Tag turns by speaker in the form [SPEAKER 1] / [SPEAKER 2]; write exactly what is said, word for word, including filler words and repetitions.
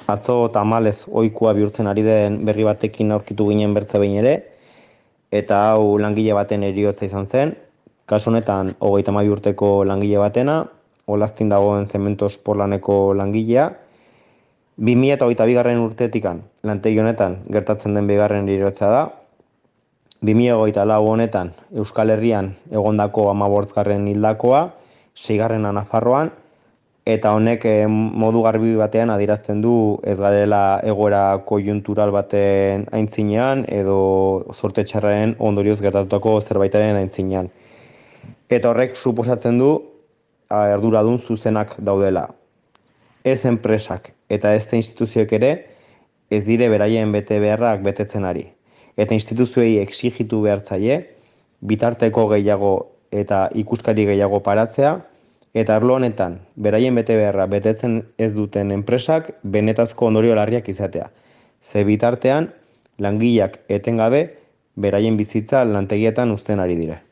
[SPEAKER 1] Atzo tamalez ohikoa bihurtzen ari den berri batekin aurkitu ginen bertze behin ere, eta hau langile baten heriotza izan zen, kasu honetan hogeita hamabi urteko langile batena, Olaztin dagoen Zementos Porlaneko langilea, bi mila hogeita bigarren urtetikan lantegi honetan gertatzen den bigarren heriotza da, bi mila hogeita lau honetan Euskal Herrian egondako hamabosgarren hildakoa, seigarrena Nafarroan, eta honek eh, modu garbi batean adierazten du ez garela egoera koiuntural baten aintzinean edo zorte txarraren ondorioz gertatutako zerbaitaren aintzinean. Eta horrek suposatzen du a, arduradun zuzenak daudela. Ez enpresak eta ez instituzioek ere ez dire beraien bete beharrak betetzen ari. Eta instituzioei exigitu behar zaie, bitarteko gehiago eta ikuskari gehiago paratzea, eta arlo honetan, beraien bete beharra betetzen ez duten enpresak benetazko ondorio larriak izatea. Ze bitartean, langileak etengabe beraien bizitza lantegietan uzten ari dire.